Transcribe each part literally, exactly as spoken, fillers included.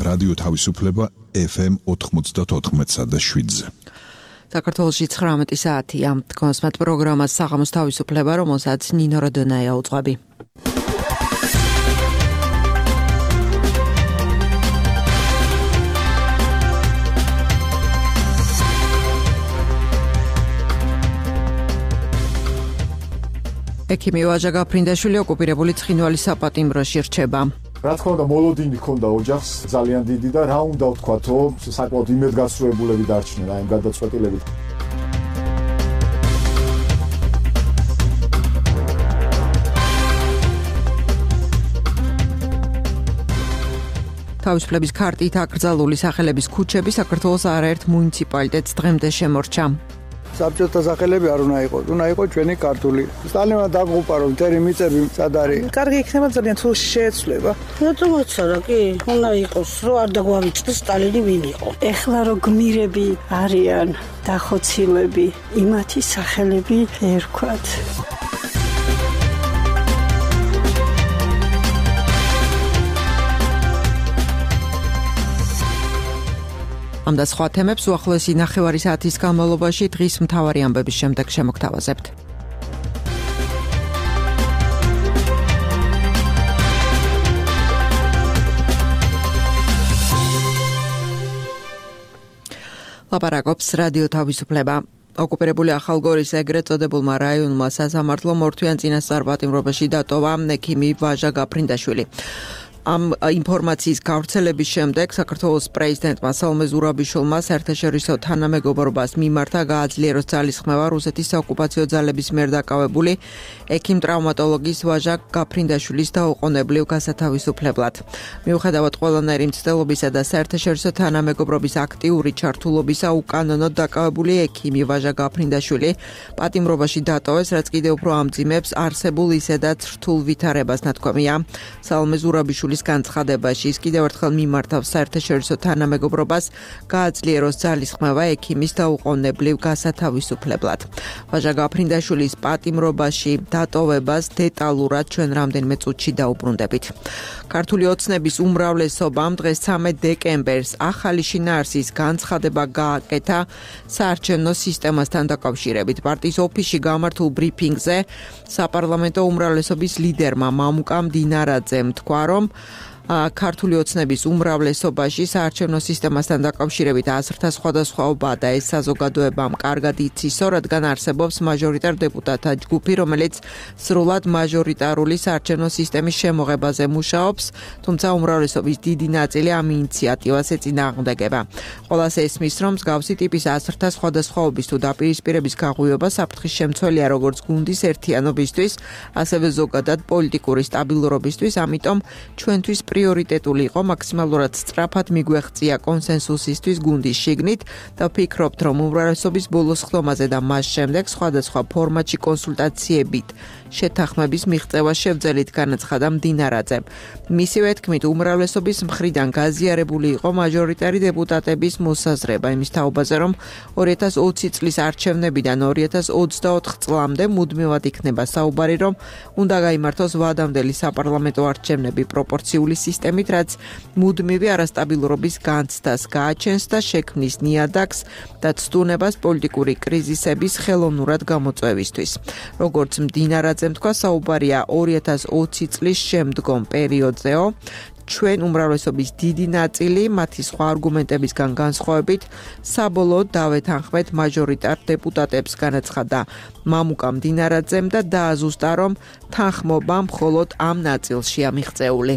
რადიო თავისუფლება ეფ ემ ოთხმოცდაოთხ და შვიდზე. საქართველოში ცხრამეტი საათია. თქვენს მათ პროგრამას საღამოს თავისუფლება, რომელსაც ნინო როდონაია უძღვები. ექიმი ვაჟა გაფრინდაშვილი ოკუპირებული ცხინვალის საპატიმროში რჩება. რა თქმა უნდა, მოლოდინი ჰქონდა ოჯახს ძალიან დიდი და რა უნდა ვთქვათო, საკმაოდ იმედგაცრუებულები დარჩნენ აი ამ გადაწყვეტილებით. თავისუფლების ქარტით აკრძალული სახელების ქუჩები საქართველოს არაერთ მუნიციპალიტეტს დღემდე შემორჩა. საბჭოთა სახელები არ უნდა იყოს, უნდა იყოს ჩვენი ქართული. სტალინმა დაგუყა რომ წერი მიწები სად არის. კარგი იქნება ძალიან თუ შეეცვლება. რატომაცა რა კი უნდა იყოს, რომ არ დაგვავიწყდეს სტალინი ვინ იყო. ეხლა რო გმირები არიან დახოცილები, იმათი სახელები ერქვათ. ამ და სხვა თემებს უახლოესი ნახევარი საათის განმავლობაში დღის მთავარი ამბების შემდეგ შემოგთავაზებთ. ლაპარაკობს რადიო თავისუფლება. ოკუპირებული ახალგორის ეგრეთ წოდებულმა რაიონულმა სასამართლომ ორთვიან წინასწარ-პატიმრობაში დატოვა ექიმი ვაჟა გაფრინდაშვილი. ამ ინფორმაციის გავრცელების შემდეგ საქართველოს პრეზიდენტმა სალომე ზურაბიშვილმა საერთაშორისო თანამეგობრობას მიმართა გააძლიეროს ძალისხმევა რუსეთის საოკუპაციო ძალების მიერ დაკავებული ექიმ-ტრავმატოლოგის ვაჟა გაფრინდაშვილის დაუყოვნებლივ გასათავისუფლებლად. მიუხედავად ყველანაირი მცდელობისა და საერთაშორისო თანამეგობრობის აქტიური ჩართულობისა, უკანონოდ დაკავებული ექიმი ვაჟა გაფრინდაშვილი პატიმრობაში დატოვეს, რაც კიდევ უფრო ამძიმებს არსებულ ისედაც რთულ ვითარებას, ნათქვამია. სალომე ზურაბიშვილის განცხადებაში ის კიდევ ერთხელ მიმართავს საერთაშორისო თანამეგობრობას გააძლიეროს ძალისხმევა ექიმის დაუყოვნებლივ გასათავისუფლებლად. ვაჟა გაფრინდაშვილის პატიმრობაში დატოვებას დეტალურად ჩვენ რამდენიმე წუთში დაუბრუნდებით. ქართული ოცნების უმრავლესობამ დღეს ცამეტ დეკემბერს ახალი შინაარსის განცხადება გააკეთა საარჩევნო სისტემასთან დაკავშირებით. პარტიის ოფისში გამართულ ბრიფინგზე საპარლამენტო უმრავლესობის ლიდერმა მამუკა მდინარაძემ თქვა, რომ ქართული ოცნების უმრავლესობაში საარჩევნო სისტემასთან დაკავშირებით აზრთა სხვადასხვაობა და ეს საზოგადოებამ კარგად იცისო, რადგან არსებობს მაჟორიტარ დეპუტატთა ჯგუფი, რომელიც სრულად მაჟორიტარული საარჩევნო სისტემის შემოღებაზე მუშაობს, თუმცა უმრავლესობის დიდი ნაწილი ამ ინიციატივას ეწინააღმდეგება. ყველას ესმის, რომ მსგავსი ტიპის აზრთა სხვადასხვაობის თუ დაპირისპირების გაღვივება საფრთხის შემცველია როგორც გუნდის ერთიანობისთვის, ასევე ზოგადად პოლიტიკური სტაბილურობისთვის, ამიტომ ჩვენთვის პრიორიტეტული იყო მაქსიმალურად სწრაფად მიგვეღწია კონსენსუსისთვის გუნდის შიგნით და ვფიქრობთ, რომ უმრავლესობის ბოლოს ხდომაზე და მას შემდეგ სხვადასხვა ფორმატში კონსულტაციებით შეთანხმების მიღწევა შევძელით, განაცხადა მდინარაძემ. მისივე თქმით, უმრავლესობის მხრიდან გაზიარებული იყო მაჟორიტარი დეპუტატების მოსაზრება იმის თაობაზე, რომ ორი ათას ოცი წლის არჩევნებიდან ორი ათას ოცდაოთხ წლამდე მუდმივად იქნება საუბარი, რომ უნდა გაიმართოს ვადამდელი საპარლამენტო არჩევნები პროპორციული სისტემით, რაც მუდმივი არასტაბილურობის განცდას გააჩენს და შექმნის ნიადაგს და ცდუნებას პოლიტიკური კრიზისების ხელოვნურად გამოწვევისთვის. როგორც მდინარაძემ თქვა, საუბარია ორი ათას ოცი წლის შემდგომ პერიოდზეო. ჩვენ უმრავლესობის დიდი ნაწილი მათი სხვა არგუმენტებისგან განსხვავებით საბოლოოდ დავეთანხმეთ მაჟორიტარ დეპუტატებს, განაცხადა მამუკა მდინარაძემ და დააზუსტა, რომ თანხმობა მხოლოდ ამ ნაწილშია მიღწეული.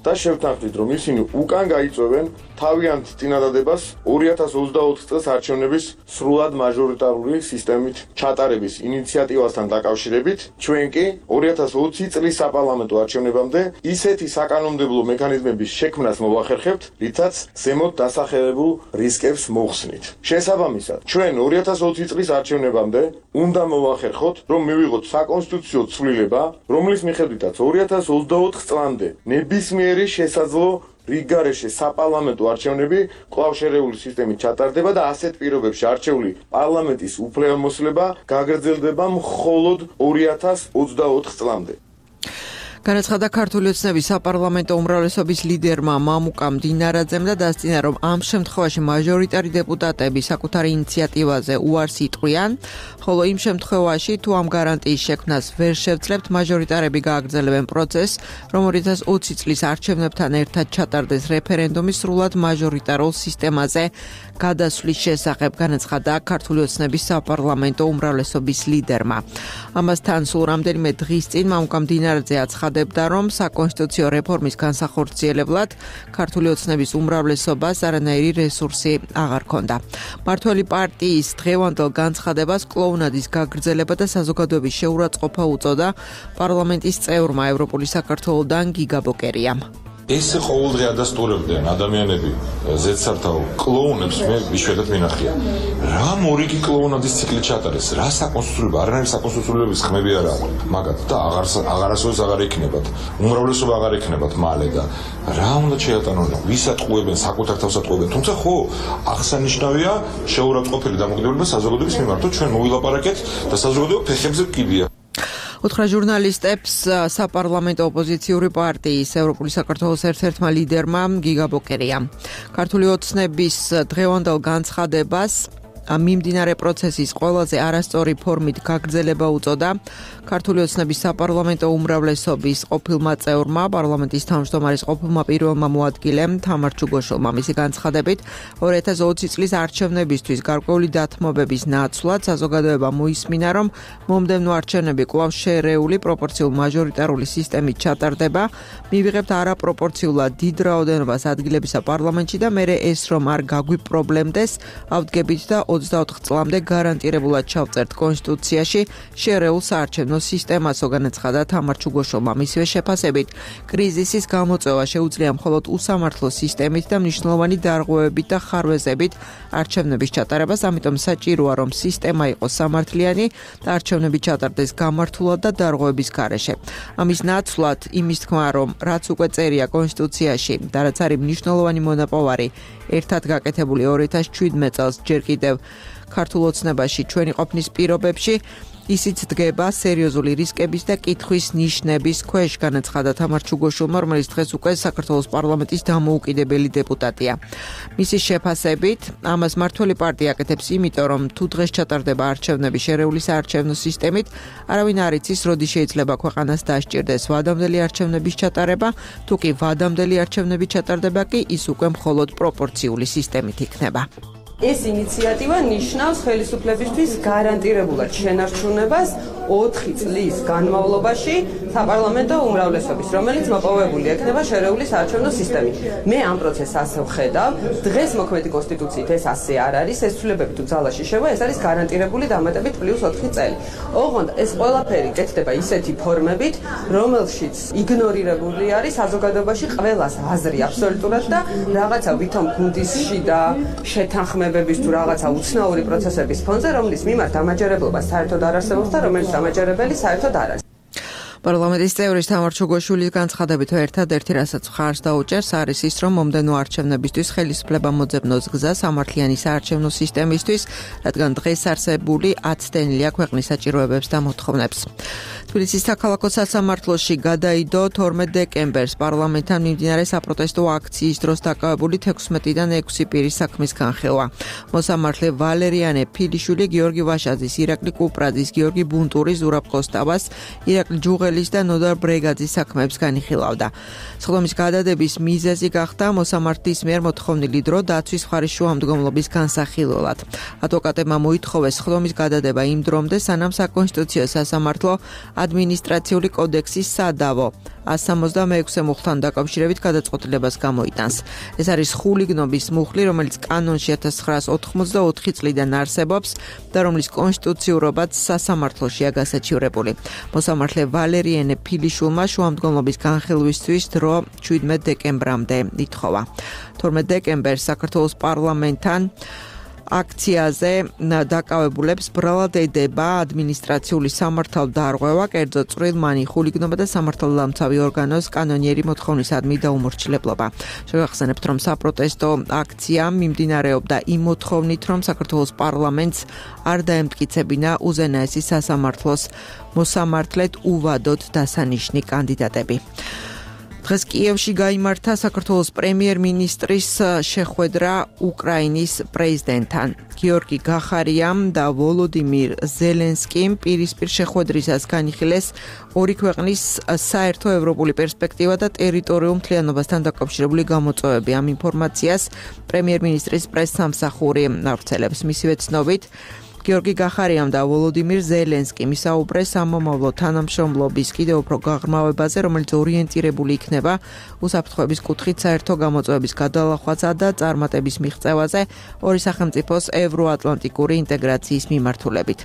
და შევთანხმდით, რომ ისინი უკან გაიწვევენ თავიანთ წინადადებას ორი ათას ოცდაოთხ წელს არჩევნების სრულად მაჟორიტარული სისტემით ჩატარების ინიციატივასთან დაკავშირებით, ჩვენ კი ორი ათას ოცი წლის საპარლამენტო არჩევნებამდე ისეთი საკანონმდებლო მექანიზმების შექმნას მოვახერხებთ, რითაც ზემოთ დასახელებულ რისკებს მოხსნით. შესაბამისად, ჩვენ ორი ათას ოცი წლის არჩევნებამდე უნდა მოვახერხოთ, რომ მივიღოთ საკონსტიტუციო ცვლილება, რომლის მიხედვითაც ორი ათას ოცდაოთხ წლამდე ნებისმიერი შესაძლო რიგგარეშე საპარლამენტო არჩევნები კვლავ შერეული სისტემით ჩატარდება და ასეთ პირობებში არჩეული პარლამენტის უფლებამოსილება გაგრძელდება მხოლოდ ორი ათას ოცდაოთხ წლამდე. განაცხადა ქართული ოცნების საპარლამენტო უმრავლესობის ლიდერმა მამუკამ დინარაძემ და დასწინა, რომ ამ შემთხვევაში მაჟორიტარი დეპუტატები საკუთარი ინიციატივაზე უარს იტყვიან, ხოლო იმ შემთხვევაში, თუ ამ გარანტიის შექმნას ვერ შევძლებთ, მაჟორიტარები გააგრძელებენ პროცესს, რომ ორი ათას ოცი წლის არჩევნებთან ერთად ჩატარდეს რეფერენდუმი სრულად მაჟორიტარულ სისტემაზე გადასვლის შესახებ, განაცხადა ქართული ოცნების საპარლამენტო უმრავლესობის ლიდერმა. ამასთან სულ რამდენიმე დღის წინ მამუკამ დინარაძე აცხადებდა, რომ საკონსტიტუციო რეფორმის განსახორციელებლად ქართული ოცნების უმრავლესობას არანაირი რესურსი აღარ ჰქონდა. მართველი პარტიის დღევანდელ განცხადებას კლოუნადის გაგრძელება და საზოგადოების შეურაცხყოფა უწოდა პარლამენტის წევრმა ევროპული საქართველოდან გიგა ბოკერიამ. ეს ყოველდღე ადასტურებდნენ ადამიანები ზედსართავ კლოუნებს მე იშვიათად მინახია. რა მორიგი კლოუნადის ციკლი ჩატარეს, რა საკონსტიტუციო, არანაირი საკონსტიტუციების ხმები არ აქვს. მაგათ და აღარ აღარასოდეს აღარ იქნებათ. უმრავლესობა აღარ იქნებათ მალე და რა უნდა შეატანონ, ვისაც ყუებენ, საკუთარ თავს ატყუებენ. თუმცა ხო, აღსანიშნავია შეურაცხყოფილი დამოკიდებულება საზოგადოების მიმართ, ჩვენ მოვილაპარაკეთ და საზოგადოება ფეხებზე კიდია. უთხრა ჟურნალისტებს საპარლამენტო ოპოზიციური პარტიის ევროპული საქართველოს ერთ-ერთმა ლიდერმა გიგა ბოკერიამ. ქართული ოცნების დღევანდელ განცხადებას მიმდინარე პროცესის ყველაზე არასწორი ფორმით გაგრძელება უწოდა ქართული ოცნების საპარლამენტო უმრავლესობის ყოფილმა წევრმა, პარლამენტის თავმჯდომარის ყოფილმა პირველმა მოადგილემ თამარ ჩუგოშვილმა. მისი განცხადებით, ორი ათას ოცი წლის არჩევნებისთვის გარკვეული დათმობების ნაცვლად საზოგადოება მოისმინა, რომ მომდევნო არჩევნები კვლავ შერეული პროპორციულ მაჟორიტარული სისტემით ჩატარდება, მივიღებთ არაპროპორციულად დიდ რაოდენობას ადგილებისა პარლამენტში და მერე ეს რომ არ გაგვიპრობლემდეს, ავდგებით და ოცდაოთხ წლამდე გარანტირებულად ჩავწერთ კონსტიტუციაში შერეულ საარჩევნო სისტემასო, განაცხადა თამარ ჩუგოშვილმა. მისივე შეფასებით, კრიზისის გამოწვევა შეუძლია მხოლოდ უსამართლო სისტემით და მნიშვნელოვანი დარღვევებით და ხარვეზებით არჩევნების ჩატარებას, ამიტომ საჭიროა, რომ სისტემა იყოს სამართლიანი და არჩევნები ჩატარდეს გამართულად და დარღვევების გარეშე. ამის ნაცვლად იმის თქმა, რომ რაც უკვე წერია კონსტიტუციაში და რაც არის მნიშვნელოვანი მონაპოვარი ერთად გაკეთებული ორი ათას შვიდმეტ წელს ჯერ კიდევ ქართულ ოცნებაში ჩვენი ყოფნის პირობებში ისიც დგება სერიოზული რისკების და კითხვის ნიშნების ქვეშ, განაცხადა თამარ ჩუგოშვილმა, რომელიც დღეს უკვე საქართველოს პარლამენტის დამოუკიდებელი დეპუტატია. მისი შეფასებით, ამას მართველი პარტია აკეთებს იმიტომ, რომ თუ დღეს ჩატარდება არჩევნები შერეული საარჩევნო სისტემით, არავინ არ იცის, როდი შეიძლება ქვეყანას დასჭირდეს ვადამდელი არჩევნების ჩატარება, თუ კი ვადამდელი არჩევნები ჩატარდება კი ის უკვე მხოლოდ პროპორციული სისტემით იქნება. ეს ინიციატივა ნიშნავს ხელისუფლებისთვის გარანტირებულად შენარჩუნებას ოთხი წლის განმავლობაში საპარლამენტო უმრავლესობის, რომელიც მოპოვებული ექნება შერეული საარჩევნო სისტემით. მე ამ პროცესს ასე ვხედავ, დღეს მოქმედი კონსტიტუციით ეს ასე არ არის, ეს ცვლილებები თუ ძალაში შევა, ეს არის გარანტირებული დამატებით პლუს ოთხი წელი. ოღონდ ეს ყველაფერი კეთდება ისეთი ფორმებით, რომელშიც იგნორირებული არის საზოგადოებაში ყველას აზრი აბსოლუტურად და რაღაცა ვითომ გუნდისში და შეთანხმებების თუ რაღაცა უცნაური პროცესების ფონზე, რომლის მიმართ დამაჯერებლობა საერთოდ არ არსებობს და რომელიც დამაჯერებელი საერთოდ არ არის. პარლამენტის წევრის თამარ ჩუგოშვილის განცხადებით, ერთადერთი რასაც მხარს დაუჭერს, არის ის, რომ მომდევნო არჩევნებისთვის ხელისუფლება მოძებნოს გზა სამართლიანი საარჩევნო სისტემისთვის, რადგან დღეს არსებული აცდენილია ქვეყნის საჭიროებებს და მოთხოვნებს. თბილისის საქალაქო სასამართლოში გადაიდო თორმეტ დეკემბერს პარლამენტთან მიმდინარე საპროტესტო აქციის დროს დაკავებული თექვსმეტიდან ექვსი პირის საქმის განხილვა. მოსამართლე ვალერიანე ფილიშვილი, გიორგი ვაშაძის, ირაკლი კუპრაძის, გიორგი ბუნტურის, ზურაბ კოსტავას, ირაკლი ჯუღელის და ნოდარ ბრეგაძის საქმეებს განიხილავდა. სხდომის გადადების მიზეზი გახდა მოსამართლის მიერ მოთხოვნილი დრო დაცვის მხარის შუამდგომლობის განსახილველად. ადვოკატებმა მოითხოვეს სხდომის გადადება იმ დრომდე, სანამ საკონსტიტუციო სასამართლო ადმინისტრაციული კოდექსის სადავო ას სამოცდამეექვსე მუხლთან დაკავშირებით გადაწყვეტილებას გამოიტანს. ეს არის ხულიგნობის მუხლი, რომელიც კანონში ათას ცხრაას ოთხმოცდაოთხი წლიდან არსებობს და რომლის კონსტიტუციურობაც სასამართლოშია გასაჩივრებული. მოსამართლე ვალერიანე ფილიშვილმა შუამდგომლობის განხილვისთვის დრო შვიდმეტ დეკემბრამდე ითხოვა. თორმეტ დეკემბერს საქართველოს პარლამენტთან აქციაზე დაკავებულებს ბრალად ედება ადმინისტრაციული სამართალდარღვევა, კერძო წვრილმანი, ხულიგნობა და სამართალდამცავი ორგანოს კანონიერი მოთხოვნისადმი დაუმორჩილებლობა. შევახსენებთ, რომ საპროტესტო აქცია მიმდინარეობდა იმ მოთხოვნით, რომ საქართველოს პარლამენტს არ დაემტკიცებინა უზენაესი სასამართლოს მოსამართლედ უვადოდ დასანიშნი კანდიდატები. დღეს კიევში გაიმართა საქართველოს პრემიერ-მინისტრის შეხვედრა უკრაინის პრეზიდენტთან. გიორგი გახარიამ და ვოლოდიმირ ზელენსკიმ პირისპირ შეხვედრისას განიხილეს ორი ქვეყნის საერთო ევროპული პერსპექტივა და ტერიტორიულ მთლიანობასთან დაკავშირებული გამოწვევები. ამ ინფორმაციას პრემიერ-მინისტრის პრესსამსახური ავრცელებს. მისივე ცნობით, გიორგი გახარიამ და ვოლოდიმირ ზელენსკიმ ისაუბრეს სამომავლო თანამშრომლობის კიდევ უფრო გაღრმავებაზე, რომელიც ორიენტირებული იქნება უსაფრთხოების კუთხით საერთო გამოწვევების გადალახვასა და წარმატების მიღწევაზე ორი სახელმწიფოს ევროატლანტიკური ინტეგრაციის მიმართულებით.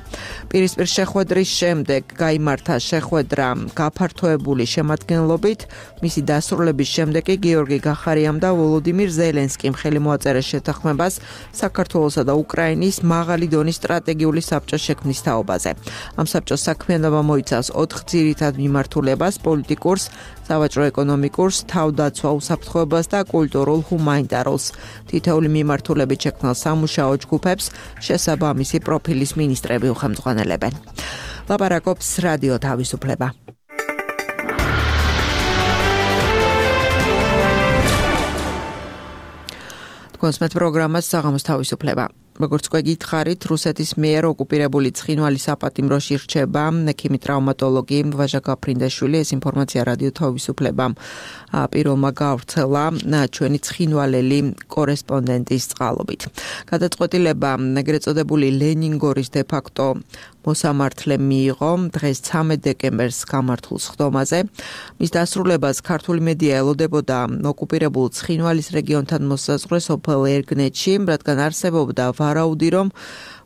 პირისპირ შეხვედრის შემდეგ გაიმართა შეხვედრა გაფართოებული შემადგენლობით. მისი დასრულების შემდეგ კი გიორგი გახარიამ და ვოლოდიმირ ზელენსკიმ ხელი მოაწერეს შეთანხმებას საქართველოსა და უკრაინის მაღალი დონის სტრატეგიული საბჭოს შექმნის თაობაზე. ამ საბჭოს საქმიანობა მოიცავს ოთხ ძირითად მიმართულებას: პოლიტიკურს, სავაჭრო-ეკონომიკურს, თავდაცვა უსაფრთხოებას და კულტურულ ჰუმანიტარულს. თითოეული მიმართულებით შექმნილ სამუშაო ჯგუფებს შესაბამისი პროფილის მინისტრები უხელმძღვანელებენ. ლაპარაკობს რადიო თავისუფლება. კონსმეთ პროგრამას საღამოს თავისუფლება. როგორც გვეკითხარით, რუსეთის მიერ ოკუპირებული ცხინვალის საპატიმროში რჩება ექიმი ტრავმატოლოგი ვაჟა გაფრინდაშვილი. ეს ინფორმაცია რადიო თავისუფლებამ პირველმა გავრცელა ჩვენი ცხინვალელი კორესპონდენტის წყალობით. გადაწყვეტილება ეგრეთ წოდებული ლენინგორის დე-ფაქტო მოსამართლე მიიღო დღეს ცამეტ დეკემბერს გამართულ სხდომაზე. მის დასრულებას ქართული მედია ელოდებოდა ოკუპირებულ ცხინვალის რეგიონთან მოსაზღვრე სოფელ ერგნეთში, რადგან არსებობდა ვარაუდი, რომ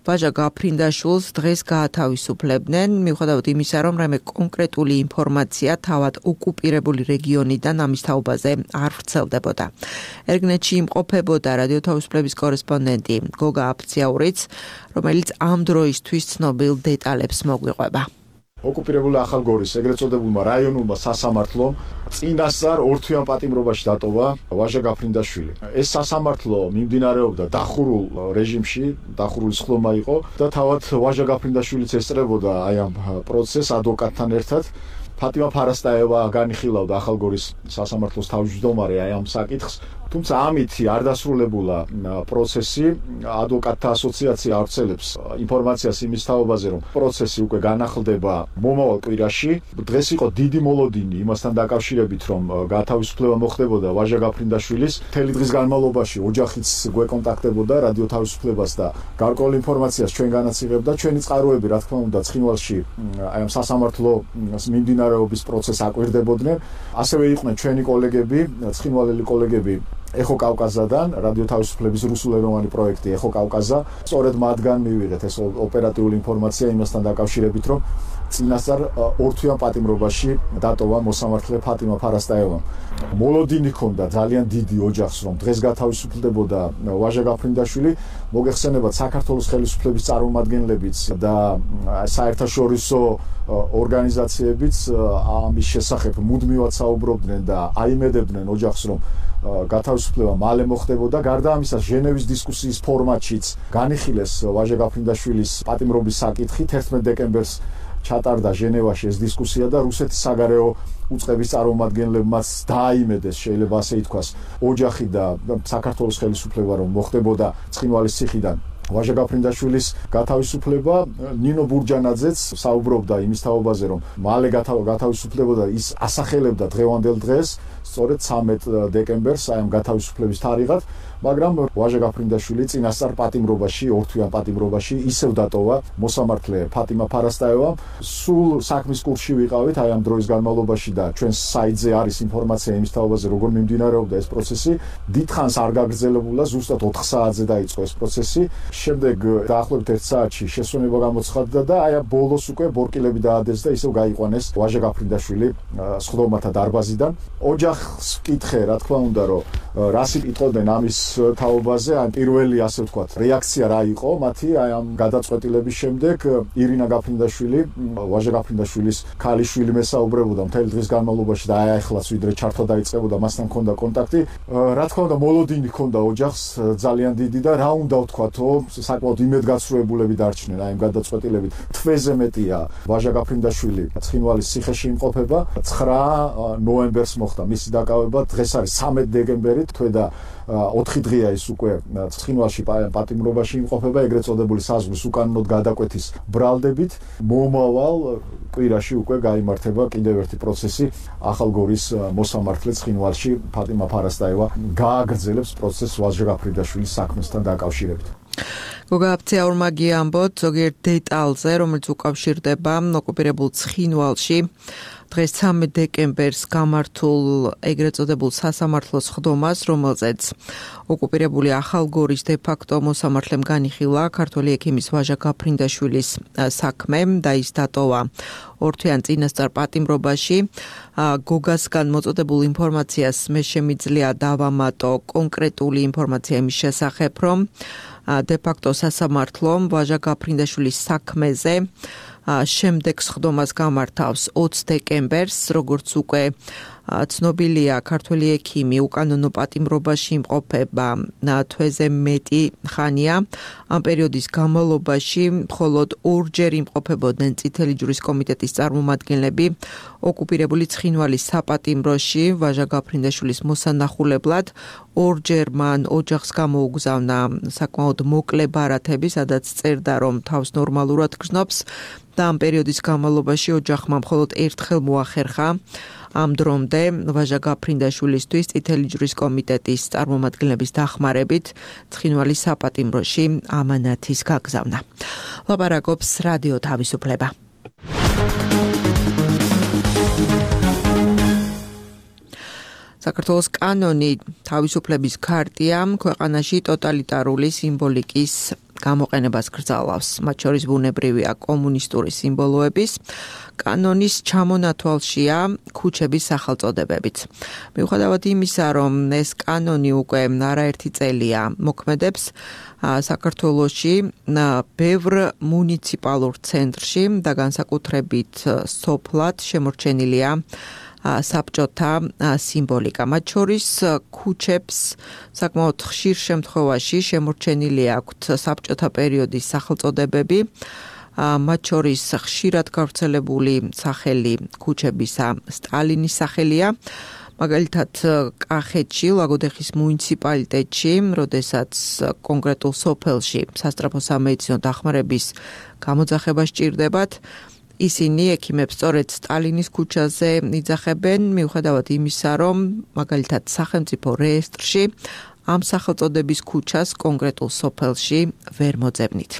ვაჟა გაფრინდაშვილს დღეს გაათავისუფლებდნენ, მიუხედავად იმისა, რომ რაიმე კონკრეტული ინფორმაცია თავად ოკუპირებული რეგიონიდან ამის თაობაზე არ ვრცელდებოდა. ერგნეთში იმყოფებოდა რადიო თავისუფლების კორესპონდენტი გოგა აფციაურიც, რომელიც ამ დროისთვის ცნობილ დეტალებს მოგვიყვება. ოკუპირებული ახალგორის ეგრეთ წოდებულმა რაიონულმა სასამართლომ წინასწარ ორთვიან პატიმრობაში დატოვა ვაჟა გაფრინდაშვილი. ეს სასამართლო მიმდინარეობდა დახურულ რეჟიმში, დახურული სხდომა იყო და თავად ვაჟა გაფრინდაშვილიც ესწრებოდა აი ამ პროცესს ადვოკატთან ერთად. ფატიმა ფარასტაევა განიხილავდა ახალგორის სასამართლოს თავმჯდომარე აი ამ საკითხს. თუმცა ამითი არ დასრულებულა პროცესი. ადვოკატთა ასოციაცია ავრცელებს ინფორმაციას იმის თაობაზე, რომ პროცესი უკვე განახლდება მომავალ კვირაში. დღეს იყო დიდი მოლოდინი იმასთან დაკავშირებით, რომ გათავისუფლება მოხდებოდა ვაჟა გაფრინდაშვილის. მთელი დღის განმავლობაში ოჯახიც გვეკონტაქტებოდა რადიო თავისუფლებას და გარკვეულ ინფორმაციას ჩვენგანაც იღებდა. ჩვენი წყაროები, რა თქმა უნდა, ცხინვალში აი ამ სასამართლოს მიმდინარეობის პროცესს აკვირდებოდნენ. ასევე იყვნენ ჩვენი კოლეგები, ცხინვალელი კოლეგები ეხო კავკაზადან, რადიო თავისუფლების რუსულენოვანი პროექტი ეხო კავკაზა. სწორედ მათგან მივიღეთ ეს ოპერატიული ინფორმაცია იმასთან დაკავშირებით, რომ წინასწარ ორთვიან პატიმრობაში დატოვა მოსამართლე ფატიმა ფარასტაევამ. მოლოდინი ჰქონდა ძალიან დიდი ოჯახს, რომ დღეს გათავისუფლდებოდა ვაჟა გაფრინდაშვილი. მოგეხსენებათ, საქართველოს ხელისუფლების წარმომადგენლებიც და საერთაშორისო ორგანიზაციებიც ამის შესახებ მუდმივად საუბრობდნენ და აიმედებდნენ ოჯახს, რომ გათავისუფლება მალე მოხდებოდა. გარდა ამისა, ჟენევის დისკუსიის ფორმატშიც განიხილეს ვაჟა გაფრინდაშვილის პატიმრობის საკითხი. თერთმეტ დეკემბერს ჩატარდა ჟენევაში ეს დისკუსია და რუსეთის საგარეო უწყების წარმომადგენლებმაც დააიმედეს, შეიძლება ასე ითქვას, ოჯახი და საქართველოს ხელისუფლება, რომ მოხდებოდა ცხინვალის ციხიდან ვაჟა გაფრინდაშვილის გათავისუფლება. ნინო ბურჯანაძეც საუბრობდა იმის თაობაზე, რომ მალე გათავისუფლებოდა, ის ასახელებდა დღევანდელ დღეს, სწორედ ცამეტ დეკემბერს, აი ამ გათავისუფლების თარიღად, მაგრამ ვაჟა გაფრინდაშვილი წინასწარ პატიმრობაში, ორთვიან პატიმრობაში ისევ დატოვა მოსამართლე ფატიმა ფარასტაევამ. სულ საქმის კურსში ვიყავით აი ამ დროის განმავლობაში და ჩვენს საიტზე არის ინფორმაცია იმის თაობაზე, როგორ მიმდინარეობდა ეს პროცესი. დიდხანს არ გაგრძელებულა, ზუსტად ოთხ საათზე დაიწყო ეს პროცესი. შემდეგ დაახლოებით ერთ საათში შესვენება გამოცხადდა და აი ამ ბოლოს უკვე ბორკილები დაადეს და ისევ გაიყვანეს ვაჟა გაფრინდაშვილი სხდომათა დარბაზიდან. ოჯახს ვკითხე, რა თქმა უნდა, რომ რას იტყოდნენ ამის თაობაზე ან პირველი ასე ვთქვათ რეაქცია რა იყო მათი აი ამ გადაწყვეტილების შემდეგ ირინა გაფრინდაშვილი ვაჟა გაფრინდაშვილის ქალიშვილი მესაუბრებოდა მთელი დღის განმავლობაში და აი ახლაც ვიდრე ჩართვა დაიწყებოდა მასთან მქონდა კონტაქტი რა თქმა უნდა მოლოდინი ჰქონდა ოჯახს ძალიან დიდი და რა უნდა ვთქვათო საკმაოდ იმედგაცრუებულები დარჩნენ აი ამ გადაწყვეტილებით თვეზე მეტია ვაჟა გაფრინდაშვილი ცხინვალის ციხეში იმყოფება ცხრა ნოემბერს მოხდა მისი დაკავება დღეს არის სამი დეკემბერი თვე და ოთხი დღეა ის უკვე ცხინვალში პატიმრობაში იმყოფება ეგრეთ წოდებული საზღვრის უკანონოდ გადაკვეთის ბრალდებით მომავალ კვირაში უკვე გაიმართება კიდევ ერთი პროცესი ახალგორის მოსამართლე ცხინვალში ფატიმა ფარასტაევა გააგრძელებს პროცესს ვაჟა გაფრინდაშვილის საქმესთან დაკავშირებით გოგა აფციაურმაგი ამბობთ ზოგიერთ დეტალზე რომელიც უკავშირდება ოკუპირებულ ცხინვალში დღეს სამი დეკემბერს გამართულ ეგრეთ წოდებულ სასამართლოს ხდომას, რომელზეც ოკუპირებული ახალგორის დე-ფაქტო მოსამართლემ განიხილა ქართველი ექიმის ვაჟა გაფრინდაშვილის საქმე და ის დატოვა ორთვიან წინასწარ პატიმრობაში. გოგასგან მოწოდებულ ინფორმაციას მე შემიძლია დავამატო კონკრეტული ინფორმაცია იმის შესახებ, რომ დე-ფაქტო სასამართლომ ვაჟა გაფრინდაშვილის საქმეზე შემდეგ ხდომას გამართავს ოცი დეკემბერს, როგორც უკვე ცნობილია ქართველი ექიმი უკანონო პატიმრობაში იმყოფება თვეზე მეტი ხანია. ამ პერიოდის განმავლობაში მხოლოდ ორჯერ იმყოფებოდნენ წითელი ჯვრის კომიტეტის წარმომადგენლები ოკუპირებული ცხინვალის საპატიმროში ვაჟა გაფრინდაშვილის მოსანახულებლად. ორჯერ მან ოჯახს გამოუგზავნა საკმაოდ მოკლე ბარათები, სადაც წერდა რომ თავს ნორმალურად გრძნობს და ამ პერიოდის განმავლობაში ოჯახმა მხოლოდ ერთხელ მოახერხა ამ დრომდე ვაჟა გაფრინდაშვილისთვის წითელი ჯვრის კომიტეტის წარმომადგენლების დახმარებით ცხინვალის საპატიმროში ამანათის გაგზავნა. ლაპარაკობს რადიო თავისუფლება. საქართველოს კანონი თავისუფლების ქარტია ქვეყანაში ტოტალიტარული სიმბოლიკის გამოყენებას გრძალავს. მათ შორის ბუნებრივია კომუნისტური სიმბოლოების კანონის ჩამონათვალშია ქუჩების სახელწოდებებიც. მიუხედავად იმისა, რომ ეს კანონი უკვე არაერთი წელია მოქმედებს საქართველოში ბევრ მუნიციპალურ ცენტრში და განსაკუთრებით სოფლად შემორჩენილია საბჭოთა სიმბოლიკა. მათ შორის ქუჩებს საკმაოდ ხშირ შემთხვევაში შემორჩენილი აქვთ საბჭოთა პერიოდის სახელწოდებები. მათ შორის ხშირად გავრცელებული სახელი ქუჩებისა სტალინის სახელია. მაგალითად კახეთში, ლაგოდეხის მუნიციპალიტეტში, როდესაც კონკრეტულ სოფელში სასწრაფო სამედიცინო დახმარების გამოძახება სჭირდებათ, ისინი ექიმებს სწორედ სტალინის ქუჩაზე იძახებენ, მიუხედავად იმისა, რომ მაგალითად სახელმწიფო რეესტრში ამ სახელწოდების ქუჩას კონკრეტულ სოფელში ვერ მოძებნით.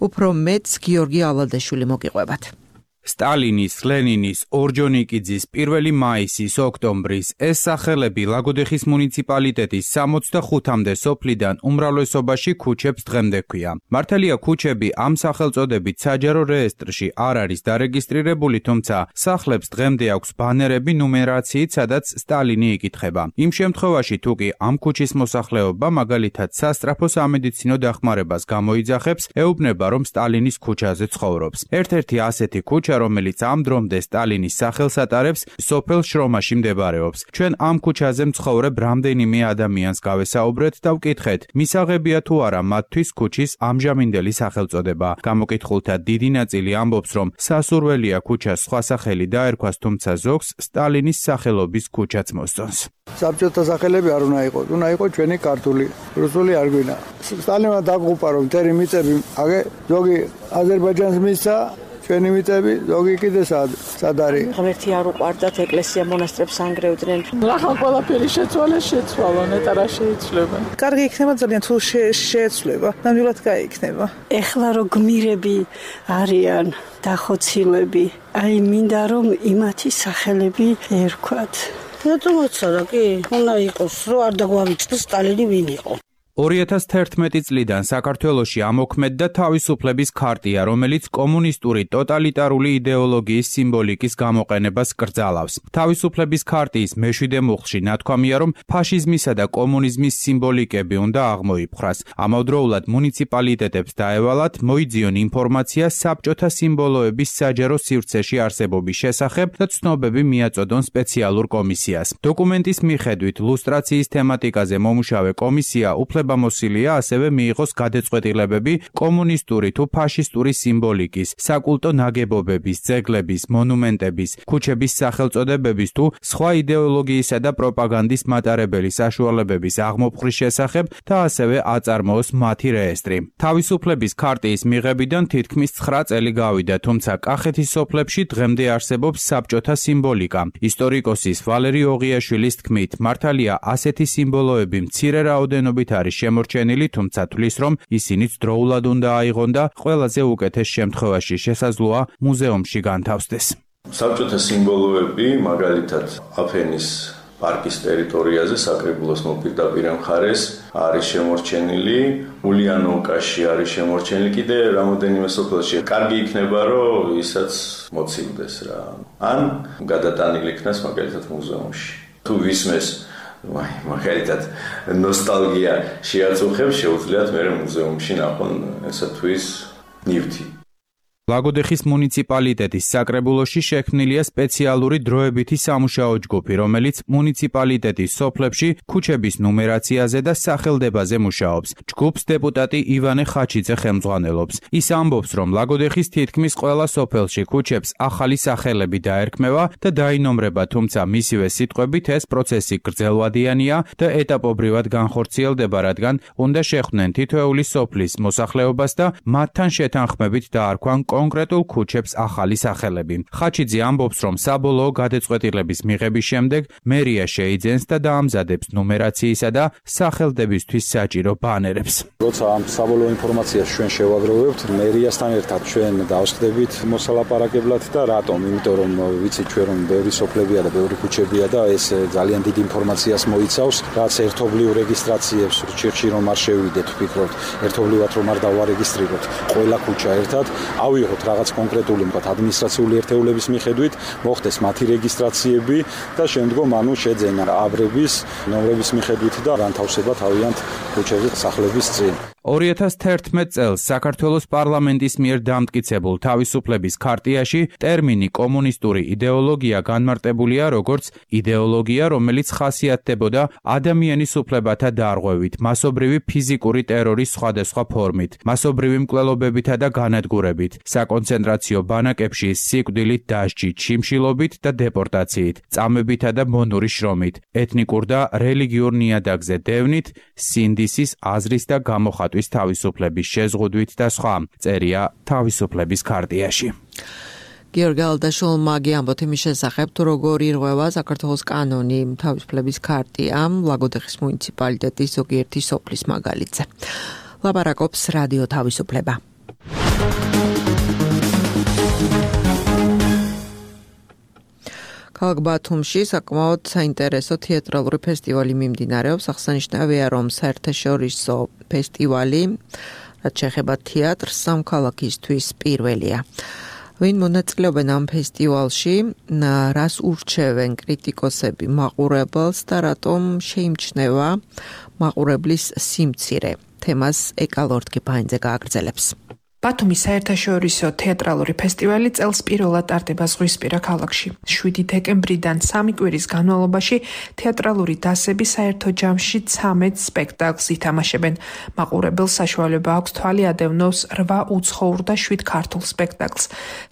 უფრო მეტს გიორგი ალადაშვილი მოგიყვებათ. სტალინის, ლენინის, ორჯონიკიძის, პირველი მაისის, ოქტომბრის ეს სახელები ლაგოდეხის მუნიციპალიტეტის სამოცდახუთამდე სოფლიდან უმრავლესობაში ქუჩებს დღემდე ჰქვია. მართალია ქუჩები ამ სახელწოდებით საჯარო რეესტრში არ არის დარეგისტრირებული, თუმცა სახლებს დღემდე აქვს ბანერები ნუმერაციით, სადაც სტალინი იკითხება. იმ შემთხვევაში თუ კი ამ ქუჩის მოსახლეობა მაგალითად სასწრაფო სამედიცინო დახმარებას გამოიძახებს, ეუბნება რომ სტალინის ქუჩაზე ცხოვრობს. ერთ-ერთი ასეთი ქუჩა რომელიც ამ დრომდე სტალინის სახელს ატარებს, სოფელ შრომაში მდებარეობს. ჩვენ ამ ქუჩაზე მცხოვრებ რამდენიმე ადამიანს გავესაუბრეთ და ვკითხეთ, მისაღებია თუ არა მათთვის ქუჩის ამჟამინდელი სახელწოდება. გამოკითხულთა დიდი ნაწილი ამბობს, რომ სასურველია ქუჩას სხვა სახელი დაერქვას, თუმცა ზოგს სტალინის სახელობის ქუჩაც მოსწონს. საბჭოთა სახელები არ უნდა იყოს, უნდა იყოს ჩვენი ქართული, რუსული არ გვინდა. სტალინმა დაგუპა რომ თერი მიწები, აგე ზოგი აზერბაიჯანს მისცა ჩვენი მიწები, ზოგი კიდე სად სად არის? ღმერთი არ უყვარდათ, ეკლესია მონასტრებს ანგრევდნენ. ახალ ყველაფერი შეცვალეს, შეცვალონ, ეტა რა შეიცვლება. კარგი იქნება ძალიან თუ შეეცვლება, ნამდვილად გაიქნება. ეხლა რო გმირები არიან დახოცილები, აი მინდა რომ იმათი სახელები ერქვათ. რატომ უცარა კი? უნდა იყოს, რომ არ დაგვავიწყდეს სტალინი ვინ იყო. ორი ათას თერთმეტი წლიდან საქართველოში ამოქმედდა თავისუფლების ქარტია, რომელიც კომუნისტური ტოტალიტარული იდეოლოგიის სიმბოლიკის გამოყენებას კრძალავს. თავისუფლების ქარტიის მეშვიდე მუხლში ნათქვამია, რომ ფაშიზმისა და კომუნიზმის სიმბოლიკები უნდა აღმოიფხვრას. ამავდროულად მუნიციპალიტეტებს დაევალათ მოიძიონ ინფორმაცია საბჭოთა სიმბოლოების საჯარო სივრცეში არსებობის შესახებ და ცნობები მიაწოდონ სპეციალურ კომისიას. დოკუმენტის მიხედვით ლუსტრაციის თემატიკაზე მომუშავე კომისია უფლებამოსილია ასევე მიიღოს გადაწყვეტილებები კომუნისტური თუ ფაშისტური სიმბოლიკის, საკულტო ნაგებობების, ძეგლების, მონუმენტების, ქუჩების სახელწოდებების თუ სხვა იდეოლოგიისა და პროპაგანდის მატარებელი საშუალებების აღმოფხრის შესახებ და ასევე აწარმოოს მათი რეესტრი. თავისუფლების ქარტიის მიღებიდან თითქმის ცხრა წელი გავიდა, თუმცა კახეთის სოფლებში დღემდე არსებობს საბჭოთა სიმბოლიკა. ისტორიკოსის ვალერი ოღიაშვილის თქმით, მართალია ასეთი სიმბოლოები მცირე რაოდენობით არის შემორჩენილი, თუმცა თვლის, რომ ისინიც დროულად უნდა აიღონ და ყველაზე უკეთეს შემთხვევაში შესაძლოა მუზეუმში განთავსდეს. საბჭოთა სიმბოლოები, მაგალითად, აფენის პარკის ტერიტორიაზე, საკრებულოს მოპირდაპირე მხარეს არის შემორჩენილი, ულიანოვკაში არის შემორჩენილი, კიდე რამოდენიმე სოფელში. კარგი იქნება, რომ ისაც მოცილდეს რა. ან გადატანილი იქნას მაგალითად მუზეუმში. თუ ვისმეს მაგალითად ნოსტალგია შეაწუხებს, შეუძლიათ მე მუზეუმში ნახონ ესათვის ნივთი. ლაგოდეხის მუნიციპალიტეტის საკრებულოში შექმნილია სპეციალური დროებითი სამუშაო ჯგუფი, რომელიც მუნიციპალიტეტის სოფლებში ქუჩების ნუმერაციაზე და სახელდებაზე მუშაობს. ჯგუფს დეპუტატი ივანე ხაჩიძე ხელმძღვანელობს. ის ამბობს, რომ ლაგოდეხის თითქმის ყველა სოფელში ქუჩებს ახალი სახელები დაერქმევა და დაინომრება, თუმცა მისივე სიტყვებით ეს პროცესი გრძელვადიანია და ეტაპობრივად განხორციელდება, რადგან უნდა შეხვდნენ თითოეული სოფლის მოსახლეობას და მათთან შეთანხმებით დაარქვან კონკრეტულ ქუჩებს ახალი სახელები. ხაჩიძე ამბობს, რომ საბოლოო გადაწყვეტილების მიღების შემდეგ მერია შეიძენს და დაამზადებს ნუმერაციისა და სახელდებისთვის საჭირო ბანერებს. როცა ამ საბოლოო ინფორმაციას ჩვენ შევაგროვებთ, მერიასთან ერთად ჩვენ დავსხდებით მოსალაპარაკებლად და რატომ? იმიტომ რომ ვიცით ჩვენ რომ ბევრი სოფლებია და ბევრი ქუჩებია და ეს ძალიან დიდ ინფორმაციას მოიცავს, რაც ერთობლივ რეგისტრაციებს რჩევში რომ არ შევიდეთ, ვფიქრობთ, ერთობლივად რომ არ დავარეგისტრიროთ ყველა ქუჩა ერთად. ავიღოთ რაღაც კონკრეტული მქონე ადმინისტრაციული ერთეულების მიხედვით, მოხდეს მათი რეგისტრაციები და შემდგომ ანუ შეძენა აბრების ნომრების მიხედვით და განთავსება თავიანთ ქუჩებზე სახლების წინ. ორი ათას თერთმეტ წელს საქართველოს პარლამენტის მიერ დამტკიცებულ თავისუფლების ქარტიაში ტერმინი კომუნისტური იდეოლოგია განმარტებულია როგორც იდეოლოგია, რომელიც ხასიათდებოდა ადამიანის უფლებათა დარღვევით, მასობრივი ფიზიკური ტერორის სხვადასხვა ფორმით, მასობრივი მკვლელობებითა და განადგურებით, საკონცენტრაციო ბანაკებში სიკვდილით დასჯით, შიმშილობით და დეპორტაციით, წამებითა და მონური შრომით, ეთნიკურ და რელიგიურ ნიადაგზე დევნით, სინდისის, აზრის და გამოხატვის თავისუფლების შეზღუდვით და სხვა, წერია თავისუფლების ქარტიაში. გიორგი ალდაშულმა ამბობთ იმის შესახებ, თუ როგორ ირღვევა საქართველოს კანონი თავისუფლების ქარტიამ ლაგოდეხის მუნიციპალიტეტის ზოგიერთი სოფლის მაგალითზე. ლაპარაკობს რადიო თავისუფლება. ქალაქ ბათუმში საკმაოდ საინტერესო თეატრალური ფესტივალი მიმდინარეობს. აღსანიშნავია, რომ საერთაშორისო ფესტივალი, რაც შეეხება თეატრს, სამოქალაქისთვის პირველია. ვინ მონაწილეობენ ამ ფესტივალში, რას ურჩევენ კრიტიკოსები მაყურებელს და რატომ შეიმჩნევა მაყურებლის სიმცირე? თემას ეკალორდ კიპაინძე გააგრძელებს. ბათუმის საერთაშორისო თეატრალური ფესტივალი წელს პირველად ტარდება ზღვისპირა ქალაქში. შვიდი დეკემბრიდან სამი კვირის განმავლობაში თეატრალური დასები საერთო ჯამში ცამეტ სპექტაკლს ითამაშებენ. მაყურებელს საშუალება აქვს თვალი ადევნოს რვა უცხოურ და შვიდ ქართულ სპექტაკლს.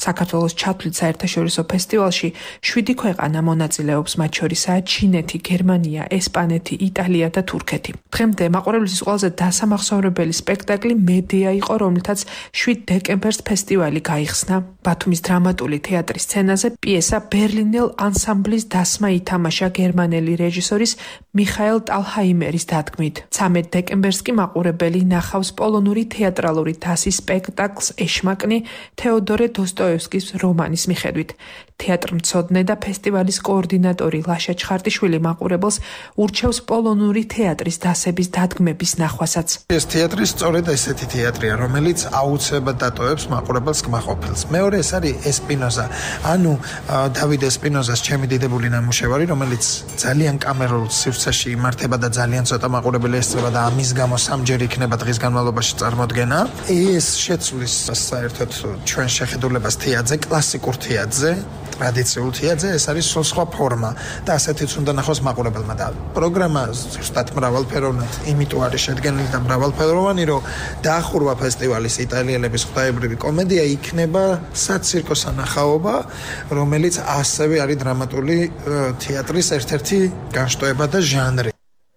საქართველოს ჩათვლით საერთაშორისო ფესტივალში შვიდი ქვეყანა მონაწილეობს, მათ შორისაა ჩინეთი, გერმანია, ესპანეთი, იტალია და თურქეთი. დღემდე მაყურებლისთვის ყველაზე დასამახსოვრებელი სპექტაკლი მედეა იყო, რომლითაც შვიდ დეკემბერს ფესტივალი გაიხსნა. ბათუმის დრამატული თეატრის სცენაზე პიესა ბერლინელ ანსამბლის დასმა ითამაშა გერმანელი რეჟისორის მიხაელ ტალჰაიმერის დადგმით. ცამეტ დეკემბერს კი მაყურებელი ნახავს პოლონური თეატრალური დასის სპექტაკლს ეშმაკნი თეოდორე დოსტოევსკის რომანის მიხედვით. თეატრმცოდნე და ფესტივალის კოორდინატორი ლაშა ჩხარტიშვილი მაყურებელს ურჩევს პოლონური თეატრის დასების დადგმების ნახვასაც. ეს თეატრი სწორედ ესეთი თეატრია, რომელიც აუცილებლად დატოვებს მაყურებელს კმაყოფილს. მეორე ეს არის ესპინოზა, ანუ დავიდ ესპინოზას ჩემი დიდებული ნამუშევარი, რომელიც ძალიან კამერულ სივრცეში იმართება და ძალიან ცოტა მაყურებელი ესწრება და ამის გამო სამჯერ იქნება დღის განმავლობაში წარმოდგენა. ეს შეცვლის საერთოდ ჩვენ შეხედულებას თეატრზე, კლასიკურ თეატრზე, ტრადიციულ თეატრზე, ეს არის სულ სხვა ფორმა და ასეთიც უნდა ნახოს მაყურებელმა და პროგრამა ზუსტად მრავალფეროვნად, იმიტომ არის შედგენილი და მრავალფეროვანი, რომ დაახურვა ფესტივალის იტალიელების ღვთაებრივი კომედია იქნება საცირკო სანახაობა, რომელიც ასევე არის დრამატული თეატრის ერთ-ერთი განშტოება და ჟანრი.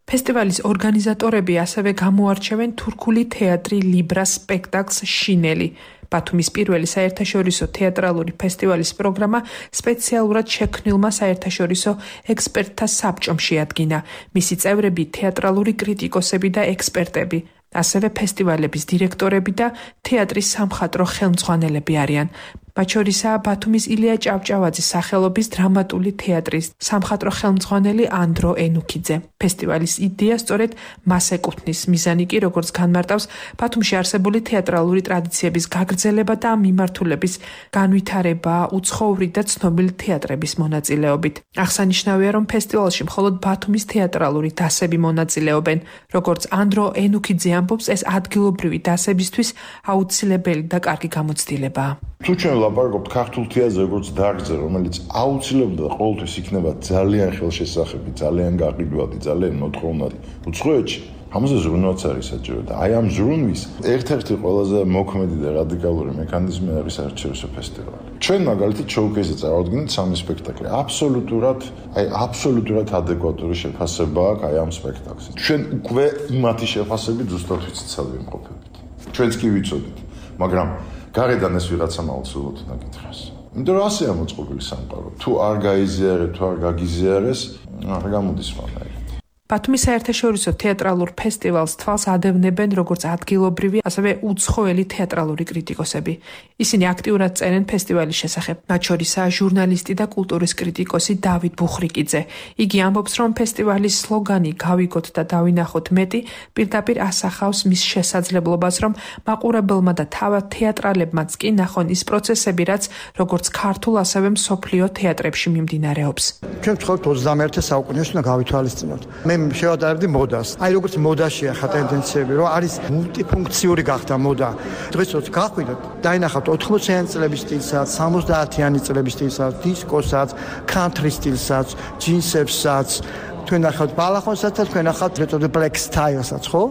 ფესტივალის ორგანიზატორები ასევე გამოარჩევენ თურქული თეატრი ლიბრას სპექტაკლს შინელი. ბათუმის პირველი საერთაშორისო თეატრალური ფესტივალის პროგრამა სპეციალურად შექმნილმა საერთაშორისო ექსპერტთა საბჭომ შეადგინა. მისი წევრები თეატრალური კრიტიკოსები და ექსპერტები, ასევე ფესტივალების დირექტორები და თეატრის სამხატვრო ხელმძღვანელები არიან. მათ შორისაა ბათუმის ილია ჭავჭავაძის სახელობის დრამატული თეატრის სამხატვრო ხელმძღვანელი ანდრო ენუქიძე. ფესტივალის იდეა სწორედ მას ეკუთვნის. მიზანი კი, როგორც განმარტავს, ბათუმში არსებული თეატრალური ტრადიციების გაგრძელება და მიმართულების განვითარება უცხოური და ცნობილი თეატრების მონაწილეობით. აღსანიშნავია, რომ ფესტივალში მხოლოდ ბათუმის თეატრალური დასები მონაწილეობენ. როგორც ანდრო ენუქიძე ამბობს, ეს ადგილობრივი დასებისთვის აუცილებელი და კარგი გამოცდილებაა. თუ ჩვენ ვლაპარაკობთ ქართულ თეატრზე როგორც დარგზე, რომელიც აუცილებლად ყოველთვის იქნება ძალიან ხელშესახები, ძალიან გაყიდვადი, ძალიან მოთხოვნადი უცხოეთში, ამაზე ზრუნვაც არის საჭირო და აი ამ ზრუნვის ერთ-ერთი ყველაზე მოქმედი და რადიკალური მექანიზმი არის საერთაშორისო ფესტივალი. ჩვენ მაგალითად შოუკეიზზე წარადგენთ სამი სპექტაკლი. აბსოლუტურად, აი აბსოლუტურად ადეკვატური შეფასება აქვს აი ამ სპექტაკლს. ჩვენ უკვე იმათი შეფასებით ზუსტად ვიცით სად ვიმყოფებით. ჩვენც კი ვიცოდით, მაგრამ გარედან ეს ვიღაცამ აუცილებლად უნდა გითხრას. იმიტომ რომ ასეა მოწყობილი სამყარო. თუ არ გაიზიარეთ, თუ არ გაგიზიარეს, არ გამოდის მანაი. ბათუმის საერთაშორისო თეატრალურ ფესტივალს თვალს ადევნებენ როგორც ადგილობრივი, ასევე უცხოელი თეატრალური კრიტიკოსები. ისინი აქტიურად წერენ ფესტივალის შესახებ. მათ შორისაა ჟურნალისტი და კულტურის კრიტიკოსი დავით ბუხრიკიძე. იგი ამბობს, რომ ფესტივალის სლოგანი "გავიგოთ და დავინახოთ მეტი" პირდაპირ ასახავს მის შესაძლებლობას, რომ მაყურებელმა და თავად თეატრალებმაც კი ნახონ ის პროცესები, რაც როგორც ქართულ, ასევე მსოფლიო თეატრებში მიმდინარეობს. ჩვენ ვცხოვრობთ ოცდამეერთე საუკუნეში და გავითვალისწინოთ. მე შევადარებდი მოდას. აი როგორც მოდაში ახლა ტენდენციები, რომ არის მულტიფუნქციური გახდა მოდა. დღესაც გახვიდოთ, დაინახავთ ოთხმოციანი წლების სტილსაც, სამოცდაათიანი წლების სტილსაც, დისკოსაც, country სტილსაც, ჯინსებსაც, თქვენ ნახავთ ბალახონსაც და თქვენ ნახავთ მეტოდე black style-საც, ხო?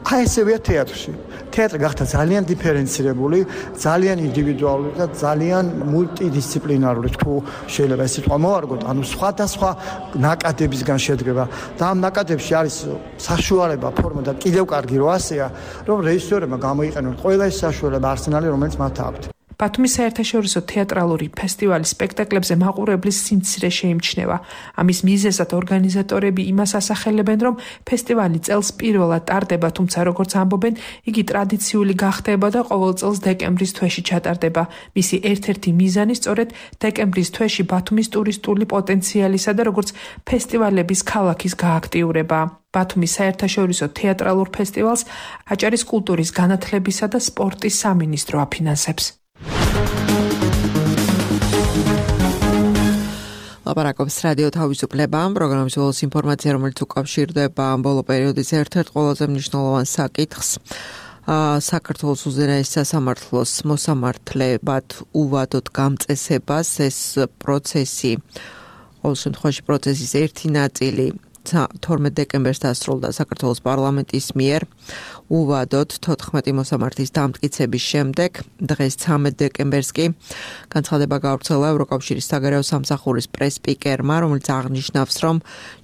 აი ესევია თეატრში. თეატრი გახდა ძალიან დიფერენცირებული, ძალიან ინდივიდუალური და ძალიან მულტიდისციპლინარული, თუ შეიძლება ეს სიტყვა მოვარგოთ, ანუ სხვადასხვა ნაკადებისგან შედგება. და ამ ნაკადებში არის საშუალება, ფორმა და კიდევ კარგი რო ასეა, რომ რეჟისორებმა გამოიყენონ ყველა ის საშუალება არსენალი, რომელიც მათ აქვთ. ბათუმის საერთაშორისო თეატრალური ფესტივალის სპექტაკლებზე მაყურებლის სიმცირე შეიმჩნევა. ამის მიზეზად ორგანიზატორები იმას ასახელებენ, რომ ფესტივალი წელს პირველად ტარდება, თუმცა როგორც ამბობენ, იგი ტრადიციული გახდება და ყოველ წელს დეკემბრის თვეში ჩატარდება. მისი ერთ-ერთი მიზანი სწორედ დეკემბრის თვეში ბათუმის ტურისტული პოტენციალისა და როგორც ფესტივალების ქალაქის გააქტიურება. ბათუმის საერთაშორისო თეატრალურ ფესტივალს აჭარის კულტურის განათლებისა და სპორტის სამინისტრო აფინანსებს. ლაპარაკობს რადიო თავისუფლება, პროგრამის ბოლოს ინფორმაცია, რომელიც უკავშირდება ბოლო პერიოდის ერთ-ერთ ყველაზე მნიშვნელოვან საკითხს. საქართველოს უზენაეს სასამართლოს მოსამართლებად უვადოდ გამწესებას. ეს პროცესი, ყოველ შემთხვევაში პროცესის ერთი ნაწილი თორმეტ დეკემბერს დასრულდა საქართველოს პარლამენტის მიერ უვადოდ თოთხმეტი მოსამართის დამტკიცების შემდეგ. დღეს ცამეტ დეკემბერს კი განცხადება გავრცელა ევროკავშირის საგარეო სამსახურის პრეს-სპიკერმა, რომელიც აღნიშნავს, რომ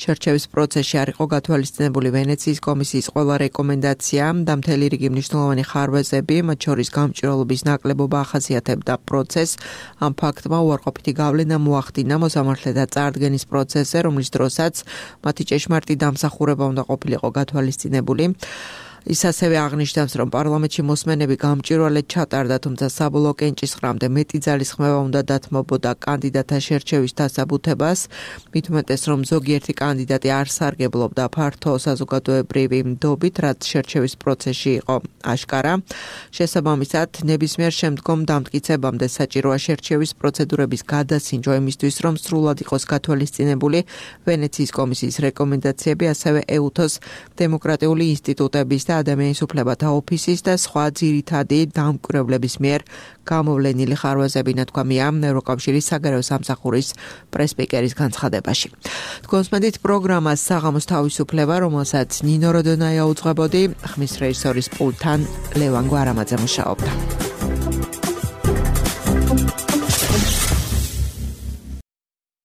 შერჩევის პროცესში არ იყო გათვალისწინებული ვენეციის კომისიის ყველა რეკომენდაცია და მთელი რიგი მნიშვნელოვანი ხარვეზები, მათ შორის გამჭვირვალობის ნაკლებობა ახასიათებდა პროცესს. ამ ფაქტმა უარყოფითი გავლენა მოახდინა მოსამართლეთა წარდგენის პროცესზე, რომლის დროსაც მათი ჭეშმარიტი დამსახურება უნდა ყოფილიყო გათვალისწინებული. ის ასევე აღნიშნავს, რომ პარლამენტში მოსმენები გამჭვირვალედ ჩატარდა, თუმცა საბოლოო კენჭისყრამდე მეტი ძალის ხმევა უნდა დათმობოდა კანდიდატთა შერჩევის დასაბუთებას, მით უმეტეს, რომ ზოგიერთი კანდიდატი არ სარგებლობდა ფართო საზოგადოებრივი ნდობით, რაც შერჩევის პროცესში იყო აშკარა. შესაბამისად, ნებისმიერ შემდგომ დამტკიცებამდე საჭიროა შერჩევის პროცედურების გადასინჯვა იმისთვის, რომ სრულად იყოს გათვალისწინებული ვენეციის კომისიის რეკომენდაციები, ასევე ეუთოს დემოკრატიული ინსტიტუტების და ადამიანის უფლებათა ოფისის და სხვა ძირითადი დამკვირვებლების მიერ გამოვლენილი ხარვაზები, ნათქვამია ევროკავშირის საგარეო სამსახურის პრესპიკერის განცხადებაში. თქვენს მედით პროგრამას საღამოს თავისუფლება, რომელსაც ნინო როდონაია უძღვებოდი, ხმის რეჟისორის პულტთან ლევან გვარამაძე მუშაობდა.